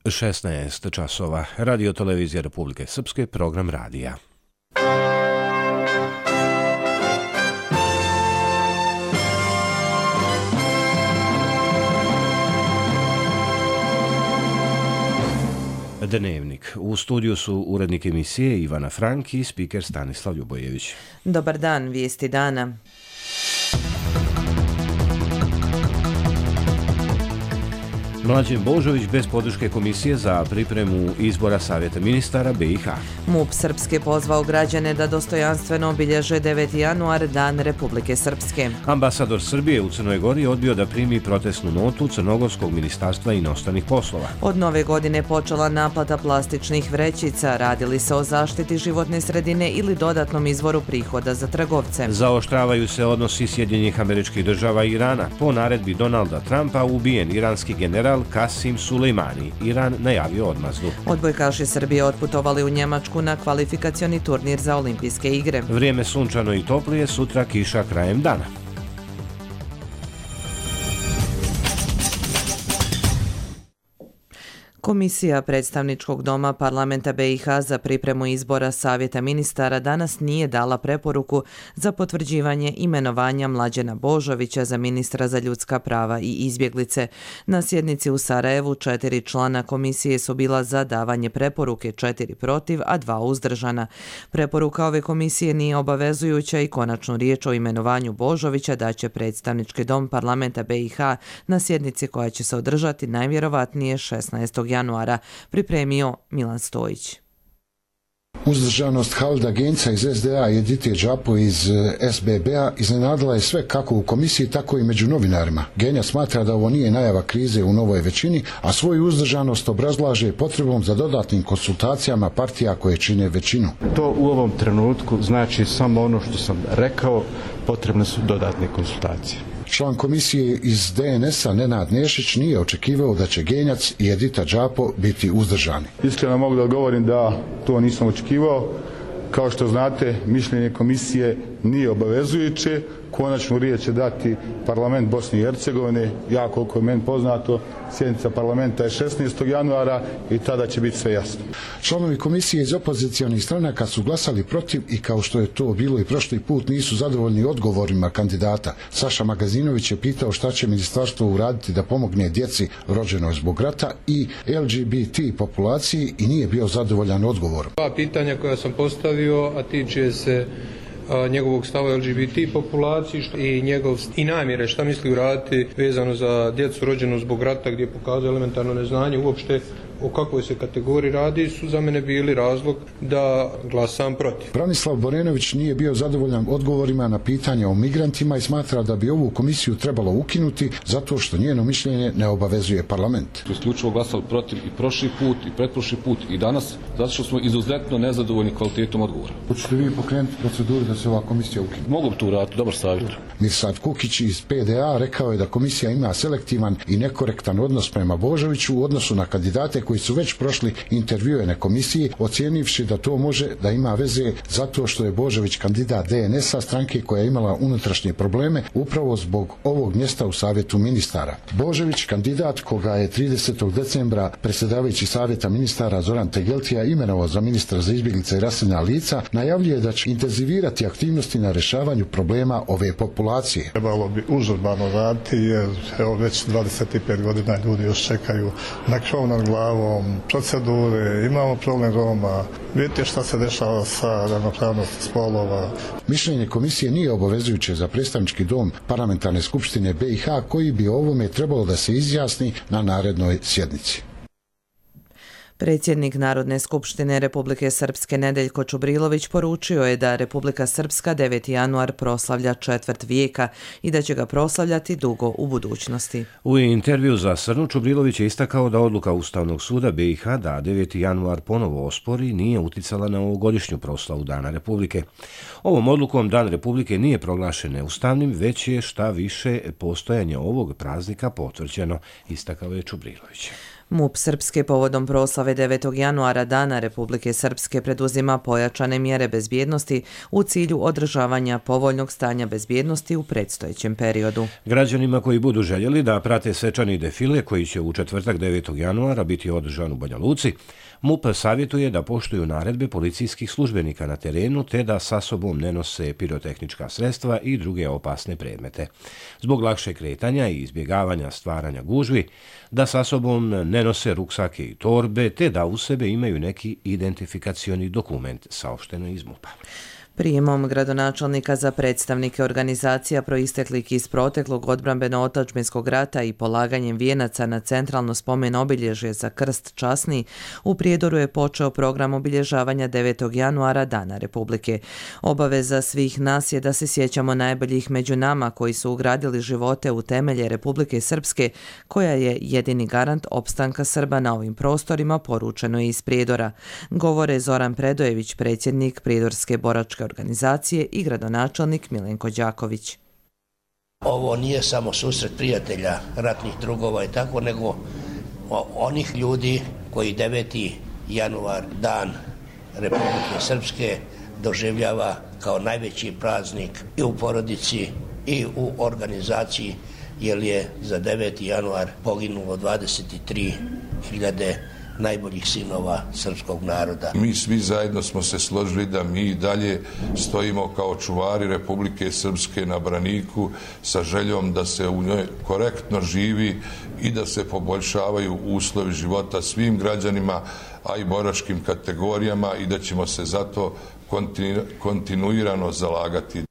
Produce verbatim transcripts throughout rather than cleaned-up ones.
šesnaest časova. Radio televizija Republike Srpske, program radija. Dnevnik. U studiju su urednik emisije Ivana Frank i spiker Stanislav Ljubojević. Dobar dan, vijesti dana. Mlađen Božović bez podrške Komisije za pripremu izbora Savjeta ministara B i H. MUP Srpske pozvao građane da dostojanstveno obilježe deveti januar, Dan Republike Srpske. Ambasador Srbije u Crnoj Gori odbio da primi protestnu notu Crnogorskog ministarstva inostranih poslova. Od nove godine počela naplata plastičnih vrećica. Radili se o zaštiti životne sredine ili dodatnom izvoru prihoda za trgovce. Zaoštravaju se odnosi Sjedinjenih Američkih Država i Irana. Po naredbi Donalda Trumpa ubijen iranski general Kasim Sulejmani. Iran najavio odmazdu. Odbojkaši Srbije otputovali u Njemačku na kvalifikacioni turnir za olimpijske igre. Vrijeme sunčano i toplije, sutra kiša krajem dana. Komisija predstavničkog doma parlamenta B i H za pripremu izbora Savjeta ministara danas nije dala preporuku za potvrđivanje imenovanja Mlađena Božovića za ministra za ljudska prava i izbjeglice. Na sjednici u Sarajevu četiri člana komisije su bila za davanje preporuke, četiri protiv, a dva uzdržana. Preporuka ove komisije nije obavezujuća i konačnu riječ o imenovanju Božovića daće predstavnički dom parlamenta B i H na sjednici koja će se održati najvjerovatnije šesnaestog januara, pripremio Milan Stojić. Uzdržanost Halida Genca iz S D A i Edite Džapo iz S B B-a iznenadila je sve kako u komisiji, tako i među novinarima. Genja smatra da ovo nije najava krize u novoj većini, a svoju uzdržanost obrazlaže potrebom za dodatnim konsultacijama partija koje čine većinu. To u ovom trenutku znači samo ono što sam rekao, potrebne su dodatne konsultacije. Član komisije iz D N S-a Nenad Nešić nije očekivao da će Genjac i Edita Džapo biti uzdržani. Iskreno mogu da odgovorim da to nisam očekivao. Kao što znate, mišljenje komisije nije obavezujuće. Konačnu riječ će dati parlament Bosne i Hercegovine. Ja, koliko je meni poznato, sjednica parlamenta je šesnaestog januara i tada će biti sve jasno. Članovi komisije iz opozicionih stranaka su glasali protiv i, kao što je to bilo i prošli put, nisu zadovoljni odgovorima kandidata. Saša Magazinović je pitao šta će ministarstvo uraditi da pomogne djeci rođenoj zbog rata i L G B T populaciji i nije bio zadovoljan odgovorom. Dva pitanja koja sam postavio, a tiče se njegovog stava L G B T populaciji i njegov i namjere šta misli uraditi vezano za djecu rođenu zbog rata, gdje je pokazao elementarno neznanje uopšte o kakvoj se kategoriji radi, su za mene bili razlog da glasam protiv. Branislav Borenović nije bio zadovoljan odgovorima na pitanja o migrantima i smatra da bi ovu komisiju trebalo ukinuti zato što njeno mišljenje ne obavezuje parlament. Isključivo glasali protiv i prošli put i pretprošli put i danas, zato što smo izuzetno nezadovoljni kvalitetom odgovora. Hoćete vi pokrenuti proceduru da se ova komisija ukine? Mogu bi to uraditi, dobar savjet. Mirsad Kukić iz P D A rekao je da komisija ima selektivan i nekorektan odnos prema Božoviću u odnosu na kandidate koji su već prošli intervjue na komisiji, ocijenivši da to može da ima veze zato što je Božović kandidat D N S-a, stranke koja je imala unutrašnje probleme upravo zbog ovog mjesta u Savjetu ministara. Božović, kandidat koga je tridesetog decembra predsjedavajući Savjeta ministara Zoran Tegeltija imenovao za ministra za izbjeglice i raseljena lica, najavljuje da će intenzivirati aktivnosti na rješavanju problema ove populacije. Trebalo bi užurbano raditi jer evo već dvadeset pet godina ljudi još čekaju na krov nad glavom, procedure, imamo problem Roma, vidite šta se dešava sa ravnopravnosti spolova. Mišljenje komisije nije obavezujuće za predstavnički dom parlamentarne skupštine B i H koji bi o ovome trebalo da se izjasni na narednoj sjednici. Predsjednik Narodne skupštine Republike Srpske Nedeljko Čubrilović poručio je da Republika Srpska deveti januar proslavlja četvrt vijeka i da će ga proslavljati dugo u budućnosti. U intervju za Srnu Čubrilović je istakao da odluka Ustavnog suda B i H da deveti januar ponovo ospori nije uticala na ovogodišnju proslavu Dana Republike. Ovom odlukom Dan Republike nije proglašen neustavnim, već je šta više postojanje ovog praznika potvrđeno, istakao je Čubrilović. MUP Srpske povodom proslave proslave devetog januara Dana Republike Srpske preduzima pojačane mjere bezbjednosti u cilju održavanja povoljnog stanja bezbjednosti u predstojećem periodu. Građanima koji budu željeli da prate svečani defile koji će u četvrtak devetog januara biti održan u Banja Luci, MUP savjetuje da poštuju naredbe policijskih službenika na terenu te da sa sobom ne nose pirotehnička sredstva i druge opasne predmete. Zbog lakšeg kretanja i izbjegavanja stvaranja gužvi, da sa sobom ne nose ruksake i torbe te da u sebe imaju neki identifikacioni dokument, saopšteno iz MUP-a. Prijemom gradonačelnika za predstavnike organizacija proisteklih iz proteklog odbrambeno-otadžbinskog rata i polaganjem vijenaca na centralno spomen obilježje za krst časni, u Prijedoru je počeo program obilježavanja devetog januara Dana Republike. Obaveza svih nas je da se sjećamo najboljih među nama koji su ugradili živote u temelje Republike Srpske, koja je jedini garant opstanka Srba na ovim prostorima, poručeno je iz Prijedora. Govore Zoran Predojević, predsjednik Prijedorske boračke organizacije, i gradonačelnik Milenko Đaković. Ovo nije samo susret prijatelja, ratnih drugova i tako, nego onih ljudi koji deveti januar, Dan Republike Srpske, doživljava kao najveći praznik i u porodici i u organizaciji, jer je za deveti januar poginulo dvadeset tri hiljade najboljih sinova srpskog naroda. Mi svi zajedno smo se složili da mi dalje stojimo kao čuvari Republike Srpske na braniku sa željom da se u njoj korektno živi i da se poboljšavaju uslovi života svim građanima, a i boračkim kategorijama, i da ćemo se zato kontinu, kontinuirano zalagati.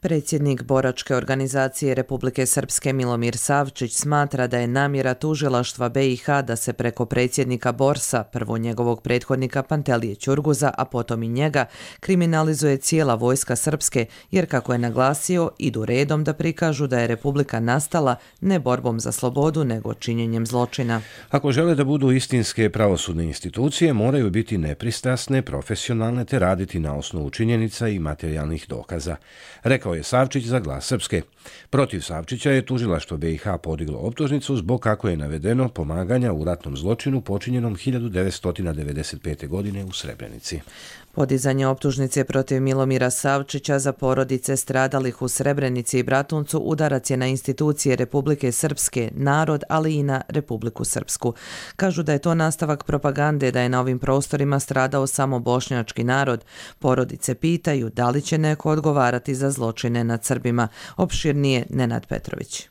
Predsjednik boračke organizacije Republike Srpske Milomir Savčić smatra da je namjera tužilaštva B i H da se preko predsjednika Borsa, prvo njegovog prethodnika Pantelije Ćurguza, a potom i njega, kriminalizuje cijela vojska Srpske, jer, kako je naglasio, idu redom da prikažu da je Republika nastala ne borbom za slobodu, nego činjenjem zločina. Ako žele da budu istinske pravosudne institucije, moraju biti nepristrasne, profesionalne te raditi na osnovu činjenica i materijalnih dokaza, rekao je Savčić za Glas Srpske. Protiv Savčića je tužilaštvo B i H podiglo optužnicu zbog, kako je navedeno, pomaganja u ratnom zločinu počinjenom hiljadu devetsto devedeset pete. godine u Srebrenici. Podizanje optužnice protiv Milomira Savčića za porodice stradalih u Srebrenici i Bratuncu udarac je na institucije Republike Srpske, narod, ali i na Republiku Srpsku. Kažu da je to nastavak propagande da je na ovim prostorima stradao samo bošnjački narod. Porodice pitaju da li će neko odgovarati za zločine nad Srbima. Opširnije Nenad Petrović.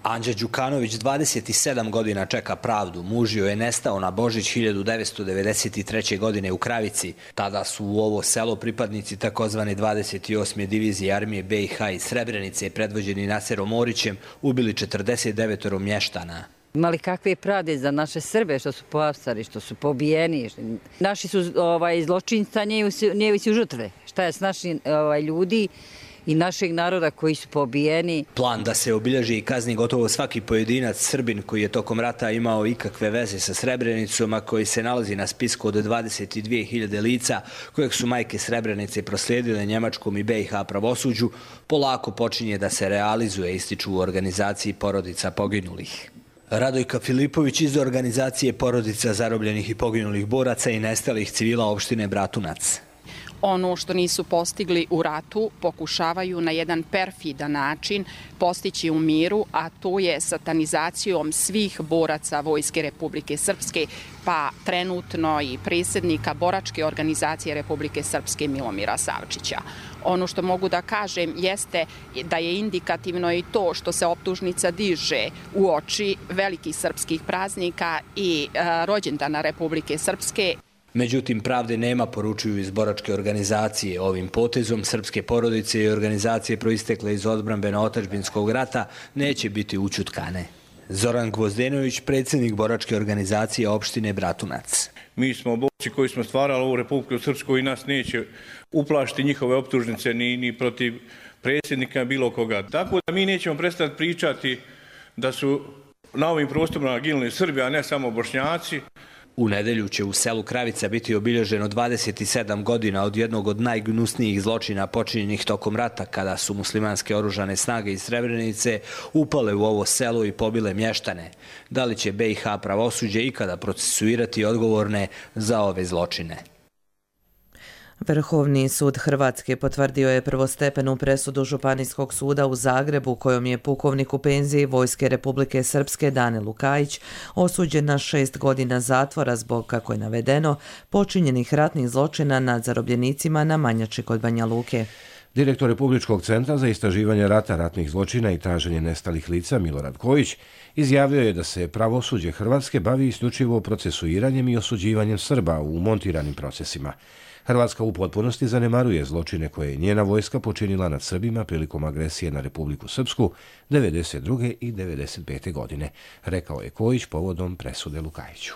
Anđa Đukanović dvadeset sedam godina čeka pravdu. Muž joj je nestao na Božić hiljadu devetsto devedeset treće. godine u Kravici. Tada su u ovo selo pripadnici takozvane dvadeset osme divizije armije B i H iz Srebrenice, predvođeni Naserom Orićem, ubili četrdeset devet mještana. Imali kakve pravde za naše Srbe što su pohapsani, što su pobijeni. Naši su ovaj, zločinca, njevi su žrtve. Šta je s našim ovaj, ljudi i našeg naroda koji su pobijeni. Plan da se obilježi i kazni gotovo svaki pojedinac Srbin koji je tokom rata imao ikakve veze sa Srebrenicom, a koji se nalazi na spisku od dvadeset dvije hiljade lica kojeg su majke Srebrenice proslijedile njemačkom i B i H pravosuđu, polako počinje da se realizuje, ističu u organizaciji porodica poginulih. Radojka Filipović iz organizacije porodica zarobljenih i poginulih boraca i nestalih civila opštine Bratunac. Ono što nisu postigli u ratu pokušavaju na jedan perfidan način postići u miru, a to je satanizacijom svih boraca Vojske Republike Srpske, pa trenutno i predsjednika boračke organizacije Republike Srpske Milomira Savčića. Ono što mogu da kažem jeste da je indikativno i to što se optužnica diže u oči velikih srpskih praznika i e, rođendana Republike Srpske. Međutim, pravde nema, poručuju iz boračke organizacije. Ovim potezom srpske porodice i organizacije proistekle iz odbrambeno-otadžbinskog rata neće biti ućutkane. Zoran Gvozdenović, predsjednik boračke organizacije opštine Bratunac. Mi smo borci koji smo stvarali ovu Republiku Srpsku i nas neće uplašiti njihove optužnice ni, ni protiv predsjednika bilo koga. Tako da mi nećemo prestati pričati da su na ovim prostorima ginuli Srbi, a ne samo Bošnjaci. U nedelju će u selu Kravica biti obilježeno dvadeset sedam godina od jednog od najgnusnijih zločina počinjenih tokom rata, kada su muslimanske oružane snage iz Srebrenice upale u ovo selo i pobile mještane. Da li će B i H pravosuđe ikada procesuirati odgovorne za ove zločine? Vrhovni sud Hrvatske potvrdio je prvostepenu presudu Županijskog suda u Zagrebu kojom je pukovnik u penziji Vojske Republike Srpske Dane Lukajić osuđen na šest godina zatvora zbog, kako je navedeno, počinjenih ratnih zločina nad zarobljenicima na Manjači kod Banja Luke. Direktor Republičkog centra za istraživanje rata, ratnih zločina i traženje nestalih lica Milorad Kojić izjavio je da se pravosuđe Hrvatske bavi isključivo procesuiranjem i osuđivanjem Srba u montiranim procesima. Hrvatska u potpunosti zanemaruje zločine koje je njena vojska počinila nad Srbima prilikom agresije na Republiku Srpsku devedeset druge i devedeset pete godine, rekao je Kojić povodom presude Lukajiću.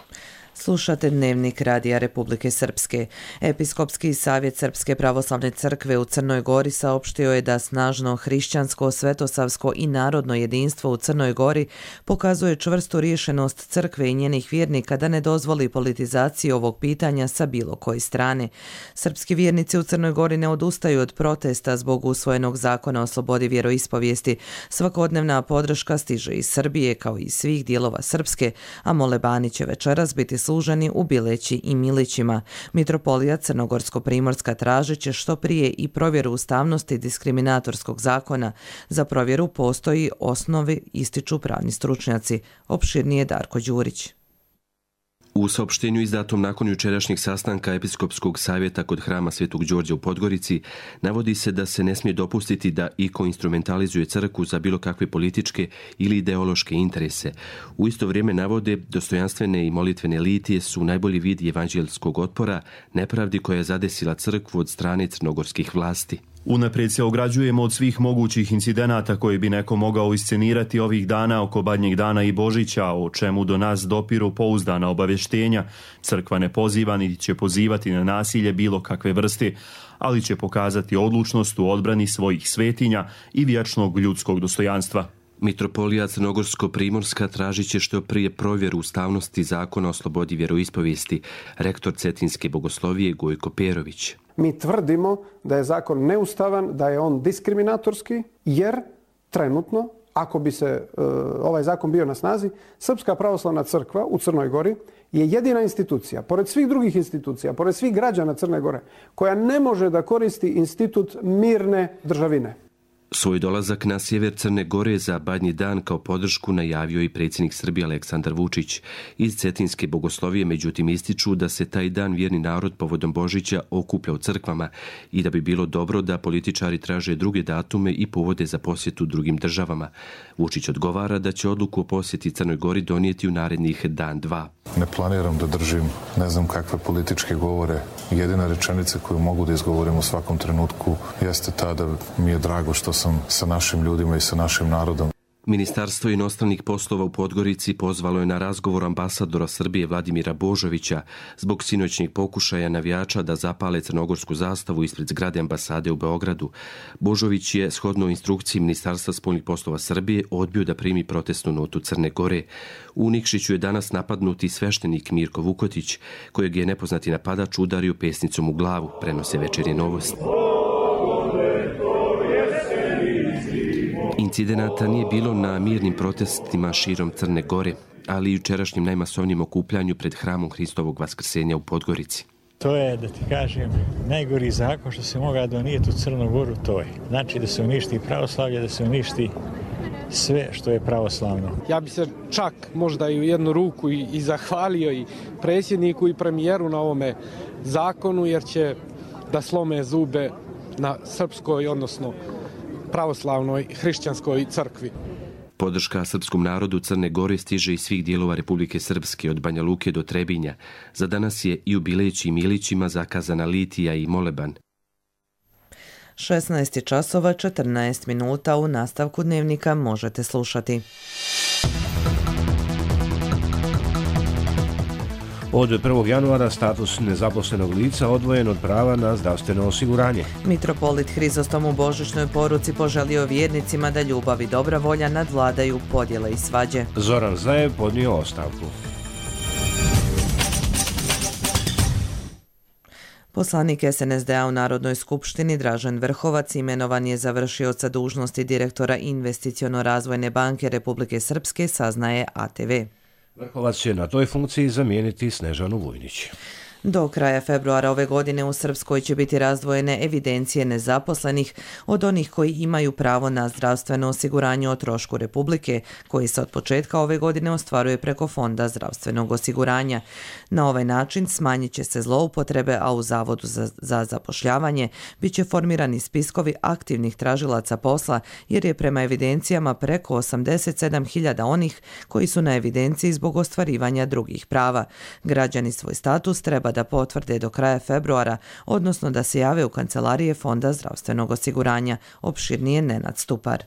Slušate Dnevnik Radija Republike Srpske. Episkopski savjet Srpske pravoslavne crkve u Crnoj Gori saopštio je da snažno hrišćansko, svetosavsko i narodno jedinstvo u Crnoj Gori pokazuje čvrstu rješenost crkve i njenih vjernika da ne dozvoli politizaciju ovog pitanja sa bilo koje strane. Srpski vjernici u Crnoj Gori ne odustaju od protesta zbog usvojenog zakona o slobodi vjeroispovijesti. Svakodnevna podrška stiže iz Srbije kao i iz svih dijelova Srpske, a molebani će večeras biti služeni u Bileći i Milićima. Mitropolija Crnogorsko-Primorska tražit će što prije i provjeru ustavnosti diskriminatorskog zakona. Za provjeru postoji osnovi, ističu pravni stručnjaci. Opširnije Darko Đurić. U saopštenju izdatom nakon jučerašnjeg sastanka Episkopskog savjeta kod hrama Svetog Đorđa u Podgorici navodi se da se ne smije dopustiti da iko instrumentalizuje crkvu za bilo kakve političke ili ideološke interese. U isto vrijeme navode dostojanstvene i molitvene litije su najbolji vid evanđelskog otpora nepravdi koja je zadesila crkvu od strane crnogorskih vlasti. Unaprijed se ograđujemo od svih mogućih incidenata koji bi neko mogao iscenirati ovih dana oko Badnjeg dana i Božića, o čemu do nas dopiru pouzdana obavještenja. Crkva ne poziva niti će pozivati na nasilje bilo kakve vrste, ali će pokazati odlučnost u odbrani svojih svetinja i vječnog ljudskog dostojanstva. Mitropolija Crnogorsko-Primorska tražit će što prije provjeru ustavnosti zakona o slobodi vjeroispovijesti, rektor Cetinske bogoslovije Gojko Perović. Mi tvrdimo da je zakon neustavan, da je on diskriminatorski, jer trenutno, ako bi se e, ovaj zakon bio na snazi, Srpska pravoslavna crkva u Crnoj Gori je jedina institucija, pored svih drugih institucija, pored svih građana Crne Gore, koja ne može da koristi institut mirne državine. Svoj dolazak na sjever Crne Gore za Badnji dan kao podršku najavio i predsjednik Srbije Aleksandar Vučić. Iz Cetinske bogoslovije međutim ističu da se taj dan vjerni narod povodom Božića okuplja u crkvama i da bi bilo dobro da političari traže druge datume i povode za posjetu drugim državama. Vučić odgovara da će odluku o posjeti Crnoj Gori donijeti u narednih dan dva. Ne planiram da držim ne znam kakve političke govore. Jedina rečenica koju mogu da izgovorim u svakom trenutku jeste ta da mi je drago što sam sa našim ljudima i sa našim narodom. Ministarstvo inostranih poslova u Podgorici pozvalo je na razgovor ambasadora Srbije Vladimira Božovića zbog sinoćnjeg pokušaja navijača da zapale crnogorsku zastavu ispred zgrade ambasade u Beogradu. Božović je, shodno instrukciji Ministarstva spoljnih poslova Srbije, odbio da primi protestnu notu Crne Gore. U Nikšiću je danas napadnuti sveštenik Mirko Vukotić, kojeg je nepoznati napadač udario pesnicom u glavu, prenose Večernje novosti. Incidenata nije bilo na mirnim protestima širom Crne Gore, ali i jučerašnjem najmasovnijem okupljanju pred hramom Hristovog vaskrsenja u Podgorici. To je, da ti kažem, najgori zakon što se mogao donijeti u Crnu Goru, to je. Znači da se uništi pravoslavlje, da se uništi sve što je pravoslavno. Ja bi se čak možda i u jednu ruku i, i zahvalio i predsjedniku i premijeru na ovome zakonu, jer će da slome zube na srpskoj, odnosno pravoslavnoj hrišćanskoj crkvi. Podrška srpskom narodu Crne Gore stiže iz svih dijelova Republike Srpske, od Banja Luke do Trebinja. Za danas je i u Bileći i Milićima zakazana litija i moleban. šesnaest časova četrnaest minuta, u nastavku Dnevnika možete slušati. Od prvog januara status nezaposlenog lica odvojen od prava na zdravstveno osiguranje. Mitropolit Hrizostom u božićnoj poruci poželio vjernicima da ljubav i dobra volja nadvladaju podjele i svađe. Zoran Zajev podnio ostavku. Poslanik S N S D A u Narodnoj skupštini Dražen Vrhovac imenovan je za vršioca dužnosti direktora Investiciono-razvojne banke Republike Srpske, saznaje A T V. Vrhovac će na toj funkciji zamijeniti Snežanu Vujnić. Do kraja februara ove godine u Srpskoj će biti razdvojene evidencije nezaposlenih od onih koji imaju pravo na zdravstveno osiguranje o trošku Republike, koji se od početka ove godine ostvaruje preko Fonda zdravstvenog osiguranja. Na ovaj način smanjit će se zloupotrebe, a u Zavodu za, za zapošljavanje bit će formirani spiskovi aktivnih tražilaca posla, jer je prema evidencijama preko osamdeset sedam hiljada onih koji su na evidenciji zbog ostvarivanja drugih prava. Građani svoj status treba da potvrde do kraja februara, odnosno da se jave u kancelarije Fonda zdravstvenog osiguranja, opširnije Nenad Stupar.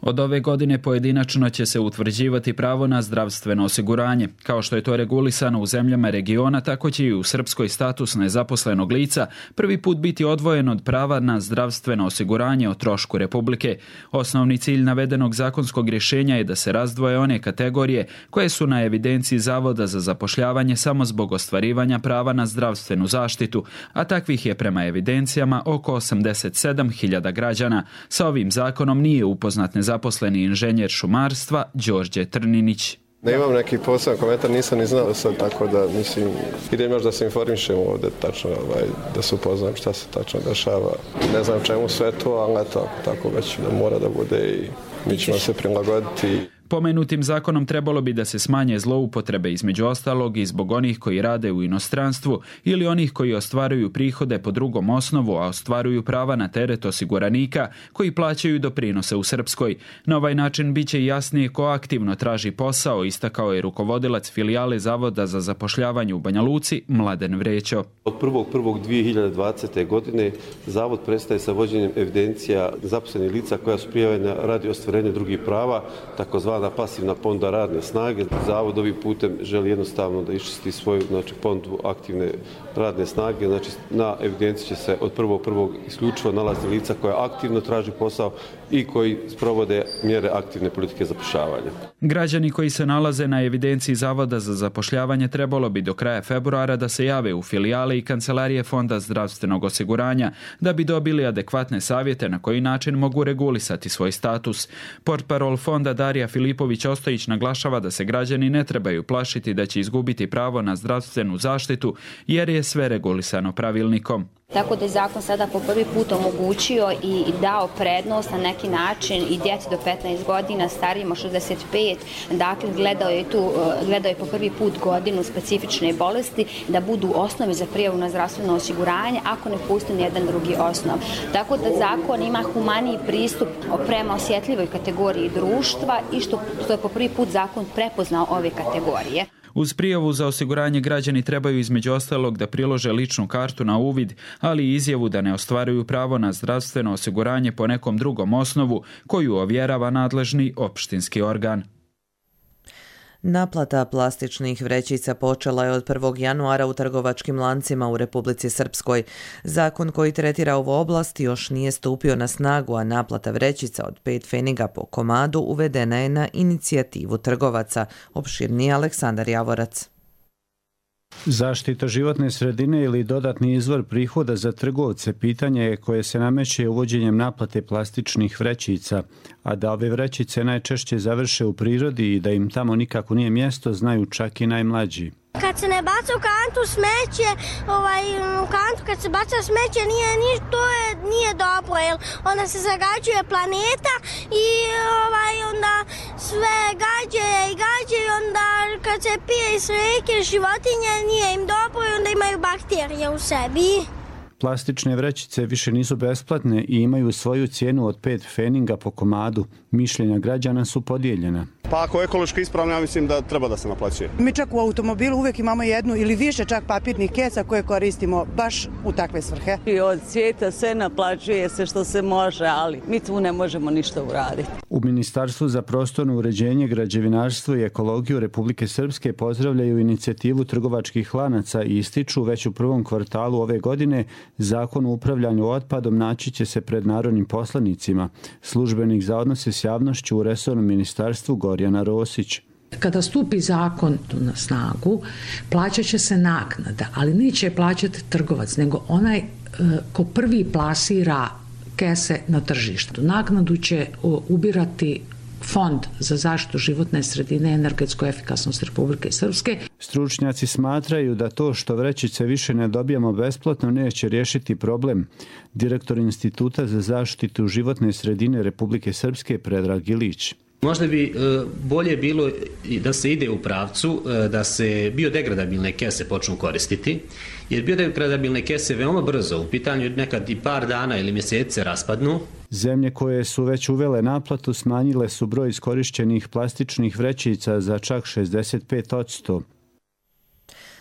Od ove godine pojedinačno će se utvrđivati pravo na zdravstveno osiguranje. Kao što je to regulisano u zemljama regiona, tako će i u Srpskoj status nezaposlenog lica prvi put biti odvojen od prava na zdravstveno osiguranje o trošku Republike. Osnovni cilj navedenog zakonskog rješenja je da se razdvoje one kategorije koje su na evidenciji Zavoda za zapošljavanje samo zbog ostvarivanja prava na zdravstvenu zaštitu, a takvih je prema evidencijama oko osamdeset sedam hiljada građana. Sa ovim zakonom nije upoznat zaposleni inženjer šumarstva Đorđe Trninić. Ne imam neki poseban komentar, nisam ni znao sad, tako da mislim, idem još da se informišem ovdje tačno, ovaj, da se upoznam šta se tačno dešava. Ne znam čemu sve to, ali eto, tako već da mora da bude i mi ćemo se prilagoditi. Pomenutim zakonom trebalo bi da se smanje zloupotrebe, između ostalog i zbog onih koji rade u inostranstvu ili onih koji ostvaruju prihode po drugom osnovu, a ostvaruju prava na teret osiguranika koji plaćaju doprinose u Srpskoj. Na ovaj način bit će jasnije ko aktivno traži posao, istakao je rukovodilac filijale Zavoda za zapošljavanje u Banja Luci, Mladen Vrećo. Od prvog prvog dvije hiljade dvadesete. godine Zavod prestaje sa vođenjem evidencija zaposlenih lica koja su prijavljena radi ostvarenja drugih prava, takozvana pasivna ponda radne snage. Zavod ovim putem želi jednostavno da iščisti svoju, znači, pondu aktivne radne snage. Znači, na evidenciji će se od prvog prvog isključivo nalazi lica koja aktivno traži posao i koji sprovode mjere aktivne politike zapošljavanja. Građani koji se nalaze na evidenciji Zavoda za zapošljavanje trebalo bi do kraja februara da se jave u filijale i kancelarije Fonda zdravstvenog osiguranja da bi dobili adekvatne savjete na koji način mogu regulisati svoj status. Portparol Fonda Darija Filipović-Ostojić naglašava da se građani ne trebaju plašiti da će izgubiti pravo na zdravstvenu zaštitu jer je sve regulisano pravilnikom. Tako da je zakon sada po prvi put omogućio i dao prednost na neki način i djeci do petnaest godina, starijima šezdeset pet, dakle gledao je, tu, gledao je po prvi put godinu specifične bolesti da budu osnovi za prijavu na zdravstveno osiguranje ako ne pusti nijedan drugi osnov. Tako da zakon ima humaniji pristup prema osjetljivoj kategoriji društva i što, što je po prvi put zakon prepoznao ove kategorije. Uz prijavu za osiguranje građani trebaju između ostalog da prilože ličnu kartu na uvid, ali i izjavu da ne ostvaruju pravo na zdravstveno osiguranje po nekom drugom osnovu koju ovjerava nadležni opštinski organ. Naplata plastičnih vrećica počela je od prvog januara u trgovačkim lancima u Republici Srpskoj. Zakon koji tretira ovu oblast još nije stupio na snagu, a naplata vrećica od pet pfeniga po komadu uvedena je na inicijativu trgovaca. Opširniji Aleksandar Javorac. Zaštita životne sredine ili dodatni izvor prihoda za trgovce pitanje je koje se nameće uvođenjem naplate plastičnih vrećica, a da ove vrećice najčešće završe u prirodi i da im tamo nikako nije mjesto, znaju čak i najmlađi. Kad se ne baca u kantu smeće, ovaj, u kantu kad se baca smeće, nije, nije, to je, nije dobro, jer onda se zagađuje planeta i ovaj, onda sve gađe i gađe i onda kad se pije iz rijeke životinje, nije im dobro i onda imaju bakterije u sebi. Plastične vrećice više nisu besplatne i imaju svoju cijenu od pet pfeninga po komadu. Mišljenja građana su podijeljena. Pa ako je ekološki ispravno, ja mislim da treba da se naplaćuje. Mi čak u automobilu uvijek imamo jednu ili više čak papirnih keca koje koristimo baš u takve svrhe. I od svijeta sve naplaćuje se što se može, ali mi tu ne možemo ništa uraditi. U Ministarstvu za prostorno uređenje, građevinarstvo i ekologiju Republike Srpske pozdravljaju inicijativu trgovačkih lanaca i ističu već u prvom kvartalu ove godine Zakon o upravljanju otpadom naći će se pred narodnim poslanicima. Službenik za odnose s javnošću u resornom ministarstvu Gorjana Rosić. Kada stupi zakon na snagu, plaćat će se naknada, ali neće plaćati trgovac, nego onaj ko prvi plasira kese na tržištu. Naknadu će ubirati Fond za zaštitu životne sredine i energetsku efikasnost Republike Srpske. Stručnjaci smatraju da to što vrećice više ne dobijamo besplatno neće riješiti problem. Direktor Instituta za zaštitu životne sredine Republike Srpske Predrag Ilić. Možda bi bolje bilo da se ide u pravcu da se biodegradabilne kese počnu koristiti, jer biodegradabilne kese veoma brzo, u pitanju nekad i par dana ili mjesece raspadnu. Zemlje koje su već uvele naplatu smanjile su broj iskorišćenih plastičnih vrećica za čak šezdeset pet posto.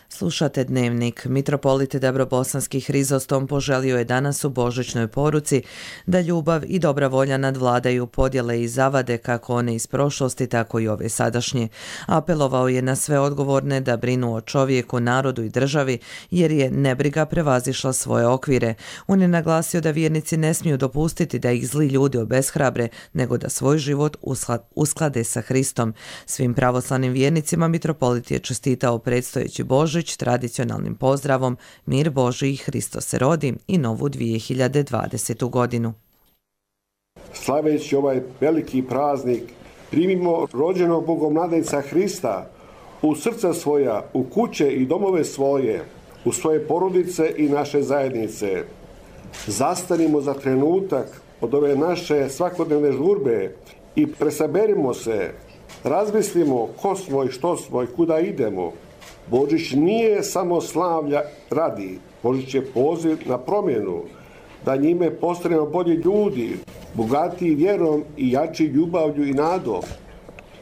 Slušate Dnevnik. Mitropolit Dabrobosanski Hrizostom poželio je danas u božićnoj poruci da ljubav i dobra volja nadvladaju podjele i zavade kako one iz prošlosti, tako i ove sadašnje. Apelovao je na sve odgovorne da brinu o čovjeku, narodu i državi, jer je nebriga prevazišla svoje okvire. On je naglasio da vjernici ne smiju dopustiti da ih zli ljudi obeshrabre, nego da svoj život usklade sa Hristom. Svim pravoslavnim vjernicima mitropolit je čestitao predstojeći Božić tradicionalnim pozdravom Mir Božji, Hristos se rodi i novu dvije hiljade dvadesetu godinu. Slaveći ovaj veliki praznik, primimo rođenog Bogomladajca Hrista u srca svoja, u kuće i domove svoje, u svoje porodice i naše zajednice. Zastanimo za trenutak od ove naše svakodnevne žurbe i presaberimo se, razmislimo ko smo i što smo i kuda idemo. Božić nije samo slavlja radi, Božić je poziv na promjenu, da njime postanemo bolji ljudi, bogatiji vjerom i jači ljubavlju i nadom.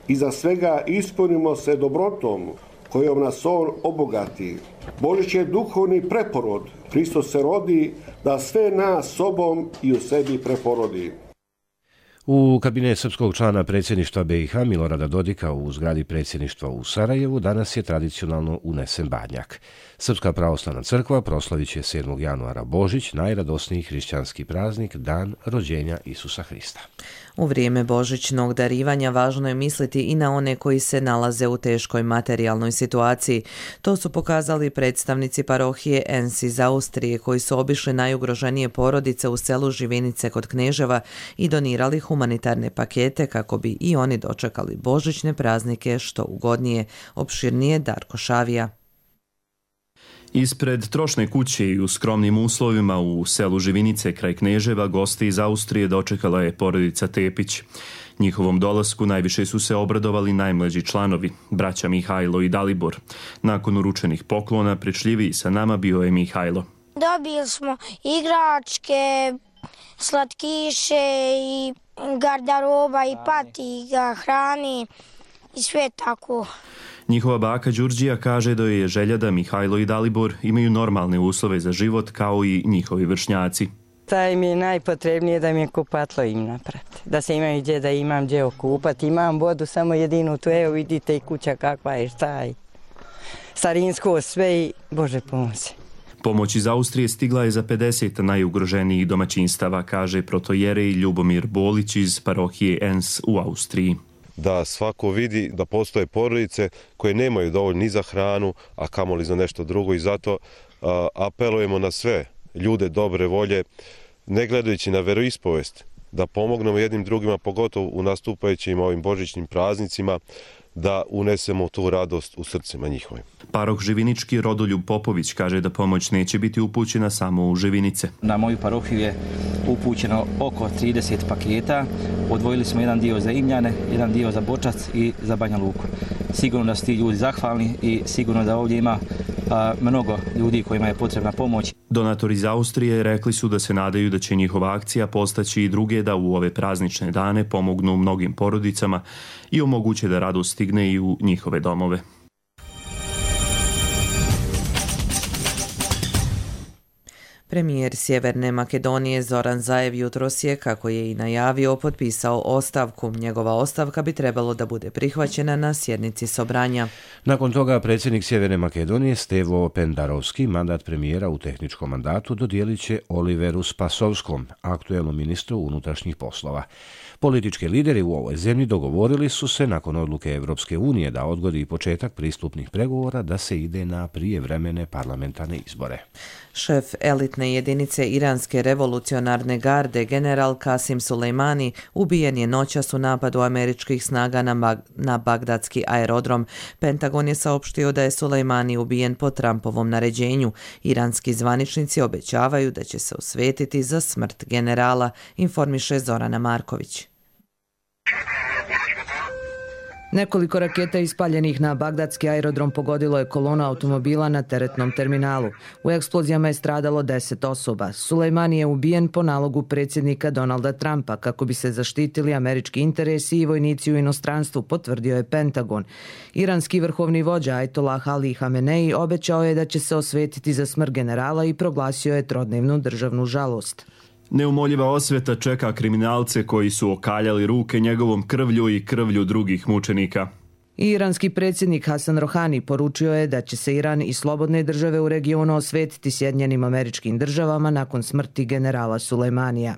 Iza svega ispunimo se dobrotom kojom nas on obogati. Božić je duhovni preporod, Hristos se rodi da sve nas sobom i u sebi preporodi. U kabinet srpskog člana predsjedništva B i H Milorada Dodika u zgradi predsjedništva u Sarajevu danas je tradicionalno unesen badnjak. Srpska pravoslavna crkva proslavit će sedmog januara Božić, najradosniji hrišćanski praznik, dan rođenja Isusa Hrista. U vrijeme božićnog darivanja važno je misliti i na one koji se nalaze u teškoj materijalnoj situaciji. To su pokazali predstavnici parohije Ens iz Austrije koji su obišli najugroženije porodice u selu Živinice kod Kneževa i donirali humanitarne pakete kako bi i oni dočekali božićne praznike što ugodnije. Opširnije Darko Šavija. Ispred trošne kuće i u skromnim uslovima u selu Živinice kraj Kneževa goste iz Austrije dočekala je porodica Tepić. Njihovom dolasku najviše su se obradovali najmlađi članovi, braća Mihajlo i Dalibor. Nakon uručenih poklona prečljiviji sa nama bio je Mihajlo. Dobili smo igračke, slatkiše i garderoba i patika, hrani i sve tako. Njihova baka Đurđija kaže da je želja da Mihajlo i Dalibor imaju normalne uslove za život kao i njihovi vršnjaci. Taj mi je najpotrebnije da mi je kupatlo im napraviti. Da se imam gdje da imam gdje okupati. Imam vodu samo jedinu tu, evo vidite i kuća kakva je, šta je. Starinsko sve i Bože pomozi. Pomoć iz Austrije stigla je za pedeset najugroženijih domaćinstava, kaže protojerej Ljubomir Bolić iz parohije Ens u Austriji. Da svako vidi da postoje porodice koje nemaju dovoljno ni za hranu, a kamoli za nešto drugo i zato a, apelujemo na sve ljude dobre volje, ne gledajući na veroispovest, da pomognemo jednim drugima, pogotovo u nastupajućim ovim božićnim praznicima, da unesemo tu radost u srcima njihovim. Paroh Živinički Rodoljub Popović kaže da pomoć neće biti upućena samo u Živinice. Na moju parohiju je upućeno oko trideset paketa. Odvojili smo jedan dio za Imljane, jedan dio za Bočac i za Banja Luku. Sigurno da su ti ljudi zahvalni i sigurno da ovdje ima a, mnogo ljudi kojima je potrebna pomoć. Donatori iz Austrije rekli su da se nadaju da će njihova akcija postaći i druge da u ove praznične dane pomognu mnogim porodicama i omoguće da radost stigne i u njihove domove. Premijer Sjeverne Makedonije Zoran Zaev jutros je, kako je i najavio, potpisao ostavku. Njegova ostavka bi trebalo da bude prihvaćena na sjednici Sobranja. Nakon toga predsjednik Sjeverne Makedonije Stevo Pendarovski mandat premijera u tehničkom mandatu dodijelit će Oliveru Spasovskom, aktuelnom ministru unutrašnjih poslova. Politički lideri u ovoj zemlji dogovorili su se nakon odluke Evropske unije da odgodi početak pristupnih pregovora da se ide na prijevremene parlamentarne izbore. Šef elitne jedinice Iranske revolucionarne garde, general Kasim Sulejmani, ubijen je noćas u napadu američkih snaga na, Mag- na bagdadski aerodrom. Pentagon je saopštio da je Sulejmani ubijen po Trumpovom naređenju. Iranski zvaničnici obećavaju da će se osvetiti za smrt generala, informiše Zorana Marković. Nekoliko raketa ispaljenih na bagdadski aerodrom pogodilo je kolona automobila na teretnom terminalu. U eksplozijama je stradalo deset osoba. Sulejmani je ubijen po nalogu predsjednika Donalda Trumpa kako bi se zaštitili američki interesi i vojnici u inostranstvu, potvrdio je Pentagon. Iranski vrhovni vođa Ajatollah Ali Hamenei obećao je da će se osvetiti za smrt generala i proglasio je trodnevnu državnu žalost. Neumoljiva osveta čeka kriminalce koji su okaljali ruke njegovom krvlju i krvlju drugih mučenika. Iranski predsjednik Hasan Rohani poručio je da će se Iran i slobodne države u regionu osvetiti Sjedinjenim Američkim Državama nakon smrti generala Sulejmanija.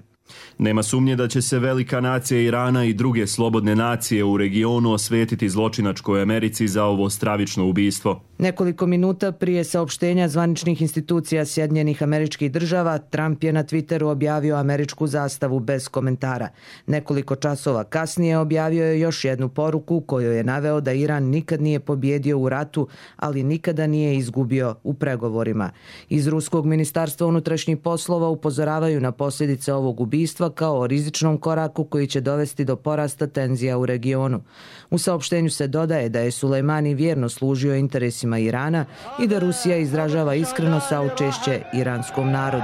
Nema sumnje da će se velika nacija Irana i druge slobodne nacije u regionu osvetiti zločinačkoj Americi za ovo stravično ubistvo. Nekoliko minuta prije saopštenja zvaničnih institucija Sjedinjenih Američkih Država, Trump je na Twitteru objavio američku zastavu bez komentara. Nekoliko časova kasnije objavio je još jednu poruku u kojoj je naveo da Iran nikad nije pobjedio u ratu, ali nikada nije izgubio u pregovorima. Iz Ruskog ministarstva unutrašnjih poslova upozoravaju na posljedice ovog ubistva kao o rizičnom koraku koji će dovesti do porasta tenzija u regionu. U saopštenju se dodaje da je Sulejmani vjerno služio interesima Irana i da Rusija izražava iskreno saučešće iranskom narodu.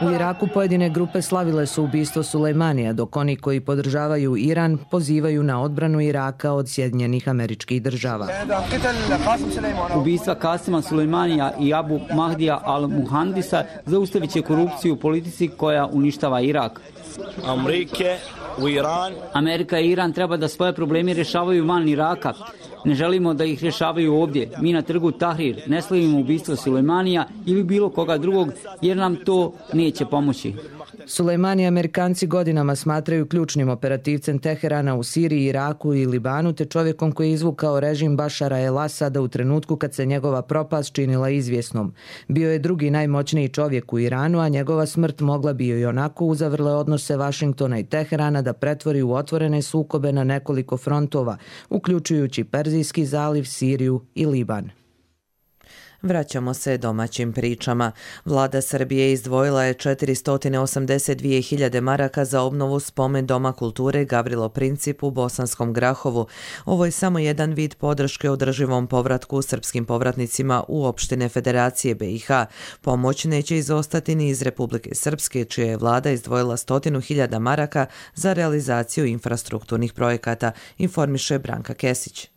U Iraku pojedine grupe slavile su ubistvo Sulejmanija, dok oni koji podržavaju Iran pozivaju na odbranu Iraka od Sjedinjenih Američkih Država. Ubistva Kasima Sulejmanija i Abu Mahdija al-Muhandisa zaustavit će korupciju u politici koja uništava Irak. Amerike u Iran. Amerika i Iran treba da svoje probleme rješavaju van Iraka. Ne želimo da ih rješavaju ovdje. Mi na trgu Tahrir ne slavimo ubistvo Sulejmanija ili bilo koga drugog jer nam to neće pomoći. Sulejmani Amerikanci godinama smatraju ključnim operativcem Teherana u Siriji, Iraku i Libanu, te čovjekom koji je izvukao režim Bašara el-Asada u trenutku kad se njegova propast činila izvjesnom. Bio je drugi najmoćniji čovjek u Iranu, a njegova smrt mogla bi i onako uzavrle odnose Vašingtona i Teherana da pretvori u otvorene sukobe na nekoliko frontova, uključujući Perzijski zaliv, Siriju i Liban. Vraćamo se domaćim pričama. Vlada Srbije izdvojila je četiristo osamdeset dvije hiljade maraka za obnovu spomen Doma kulture Gavrilo Princip u Bosanskom Grahovu. Ovo je samo jedan vid podrške održivom povratku srpskim povratnicima u opštine Federacije B i H. Pomoć neće izostati ni iz Republike Srpske, čija je vlada izdvojila stotinu hiljada maraka za realizaciju infrastrukturnih projekata, informiše Branka Kesić.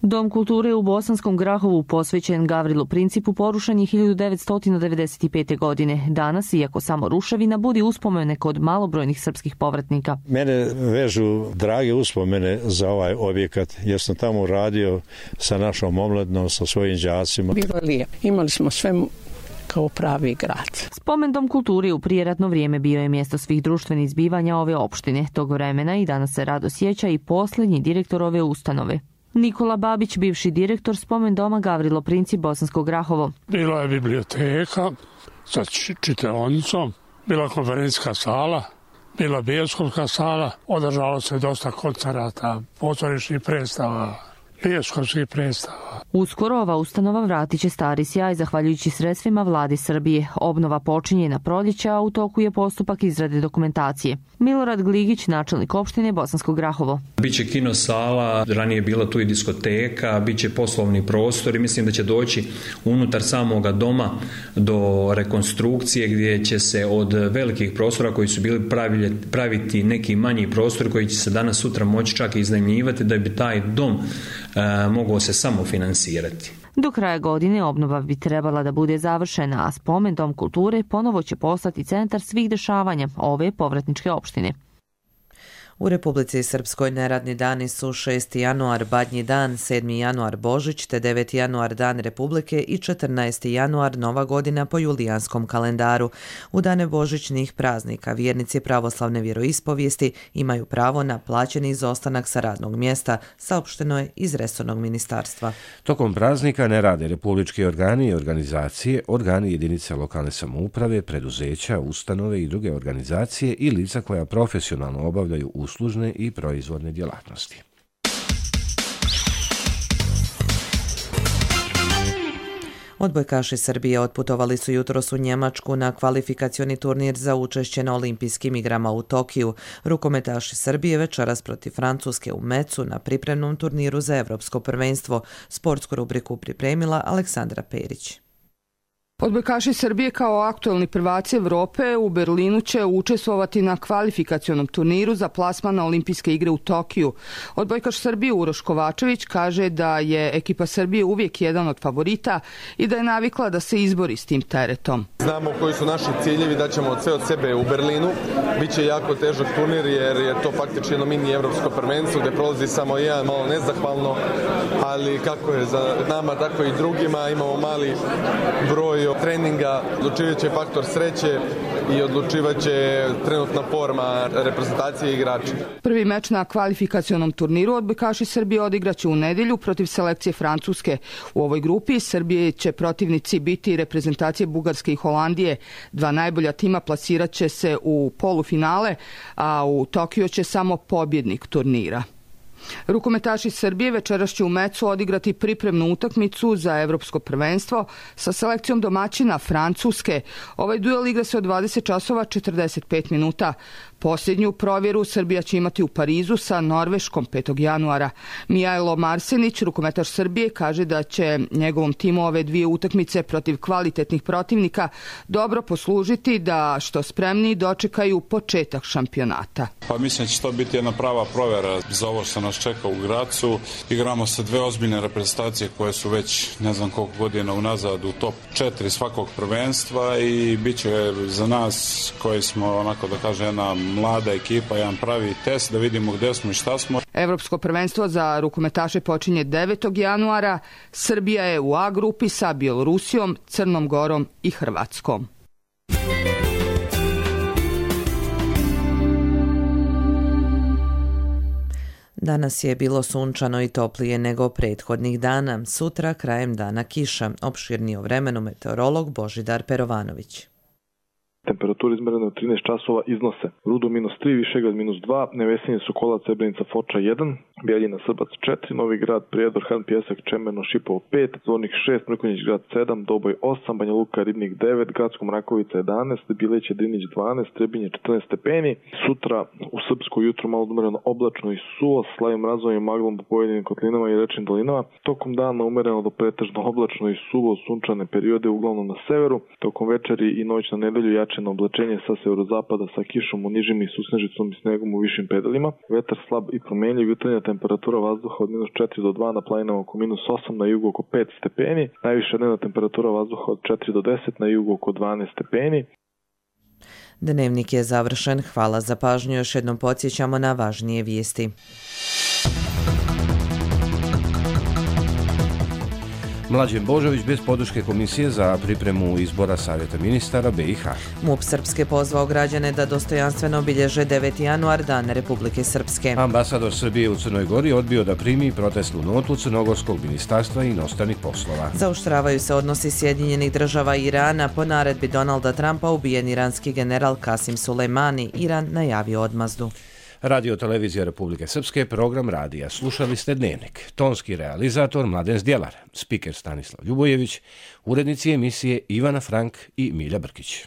Dom kulture u Bosanskom Grahovu posvećen Gavrilu Principu porušen je hiljadu devetsto devedeset pete. godine. Danas, iako samo ruševina, budi uspomene kod malobrojnih srpskih povratnika. Mene vežu drage uspomene za ovaj objekat, jer sam tamo radio sa našom omladnom, sa svojim đacima. Bilo je lijepo. Imali smo sve kao pravi grad. Spomen Dom kulture u prijeratno vrijeme bio je mjesto svih društvenih zbivanja ove opštine. Tog vremena i danas se rado sjeća i posljednji direktor ove ustanove. Nikola Babić, bivši direktor Spomen doma Gavrilo Princip Bosansko Grahovo. Bila je biblioteka sa čitaonicom, bila konferencijska sala, bila bioskopska sala, održalo se dosta koncerata, pozorišnih predstava, bioskopskih predstava. Uskoro ova ustanova vratit će stari sjaj zahvaljujući sredstvima vlade Srbije. Obnova počinje na proljeće, a u toku je postupak izrade dokumentacije. Milorad Gligić, načelnik opštine Bosansko Grahovo. Biće kino sala, ranije je bila tu i diskoteka, biće poslovni prostor i mislim da će doći unutar samoga doma do rekonstrukcije gdje će se od velikih prostora koji su bili praviti neki manji prostor koji će se danas sutra moći čak i iznajmljivati da bi taj dom e, mogao se samo finansirati. Do kraja godine obnova bi trebala da bude završena, a Spomen dom kulture ponovo će postati centar svih dešavanja ove povratničke opštine. U Republici Srpskoj neradni dani su šesti januar Badnji dan, sedmi januar Božić te deveti januar Dan Republike i četrnaesti januar Nova godina po julijanskom kalendaru. U dane božićnih praznika vjernici pravoslavne vjeroispovijesti imaju pravo na plaćeni izostanak sa radnog mjesta, saopšteno je iz resornog ministarstva. Tokom praznika ne rade republički organi i organizacije, organi jedinice lokalne samouprave, preduzeća, ustanove i druge organizacije i lica koja profesionalno obavljaju uslužne i proizvodne djelatnosti. Odbojkaši Srbije otputovali su jutros u Njemačku na kvalifikacioni turnir za učešće na olimpijskim igrama u Tokiju. Rukometaši Srbije večeras protiv Francuske u Mecu na pripremnom turniru za Evropsko prvenstvo. Sportsku rubriku pripremila Aleksandra Perić. Odbojkaši Srbije kao aktuelni prvaci Evrope u Berlinu će učestvovati na kvalifikacionom turniru za plasman na olimpijske igre u Tokiju. Odbojkaš Srbije Uroš Kovačević kaže da je ekipa Srbije uvijek jedan od favorita i da je navikla da se izbori s tim teretom. Znamo koji su naši ciljevi, da ćemo sve od sebe u Berlinu. Biće jako težak turnir jer je to faktički jedno mini evropsko prvenstvo gdje prolazi samo jedan, malo nezahvalno, ali kako je za nama tako i drugima, imamo mali broj treninga, odlučivat će faktor sreće i odlučivat će trenutna forma reprezentacije i igrača. Prvi meč na kvalifikacionom turniru odbojkaši Srbije odigraće u nedjelju protiv selekcije Francuske. U ovoj grupi Srbije će protivnici biti reprezentacije Bugarske i Holandije. Dva najbolja tima plasirat će se u polufinale, a u Tokiju će samo pobjednik turnira. Rukometaši Srbije večeras će u Mecu odigrati pripremnu utakmicu za Evropsko prvenstvo sa selekcijom domaćina Francuske. Ovaj duel igra se od dvadeset časova četrdeset pet minuta. Posljednju provjeru Srbija će imati u Parizu sa Norveškom petog januara. Mijajlo Marsenić, rukometaš Srbije, kaže da će njegovom timu ove dvije utakmice protiv kvalitetnih protivnika dobro poslužiti da što spremniji dočekaju početak šampionata. Pa mislim da će to biti jedna prava provjera za ovo što nas čeka u Gracu. Igramo sa dve ozbiljne reprezentacije koje su već ne znam koliko godina unazad u top četiri svakog prvenstva i bit će za nas koji smo onako da kažem jedna mlada ekipa, jedan pravi test da vidimo gdje smo i šta smo. Evropsko prvenstvo za rukometaše počinje devetog januara. Srbija je u A grupi sa Bjelorusijom, Crnom Gorom i Hrvatskom. Danas je bilo sunčano i toplije nego prethodnih dana. Sutra krajem dana kiša. Opširnije o vremenu meteorolog Božidar Perovanović. Temperature izmerene u trinaest časova iznose Rudo minus tri, Višegrad minus dva, Nevesinje, Sokolac, Srebrenica, Foča jedan, Bjeljina, Srbac četiri, Novi Grad, Prijedor, Han, Pjesak, Čemerno, Šipovo pet, Zvornik šest, Mrkonjić Grad sedam, Doboj osam, Banja Luka, Ribnik devet, Gracko Mrakovica jedanaest, Bileće, Drinić dvanaest, Trebinje četrnaest stepeni. Sutra u Srpsku jutro malo umereno oblačno i suvo, slavim razvojem i maglom po pojedinim kotlinama i rečnim dolinama. Tokom dana umereno do pretežno oblačno i suvo, sunčane periode uglavnom na severu. Tokom večeri i noć na nedelju jače na oblačenje sa severozapada sa kišom u nižim i susnežicom i snegom u višim pedalima. Vetar slab i promjenjiv, jutarnja temperatura vazduha od minus četiri do dva, na planinama oko minus osam, na jugu oko pet stepeni. Najviša dnevna temperatura vazduha od četiri do deset, na jugu oko dvanaest stepeni. Dnevnik je završen. Hvala za pažnju. Još jednom podsjećamo na važnije vijesti. Mlađen Božović bez podrške komisije za pripremu izbora Savjeta ministara B i H. MUP Srpske pozvao građane da dostojanstveno obilježe deveti januar Dan Republike Srpske. Ambasador Srbije u Crnoj Gori odbio da primi protestnu notu Crnogorskog ministarstva inostranih poslova. Zaoštravaju se odnosi Sjedinjenih država i Irana. Po naredbi Donalda Trumpa ubijen iranski general Kasim Sulejmani. Iran najavio odmazdu. Radio Televizija Republike Srpske, program radija. Slušali ste Dnevnik. Tonski realizator Mladen Zdjelar, spiker Stanislav Ljubojević, urednici emisije Ivana Frank i Milja Brkić.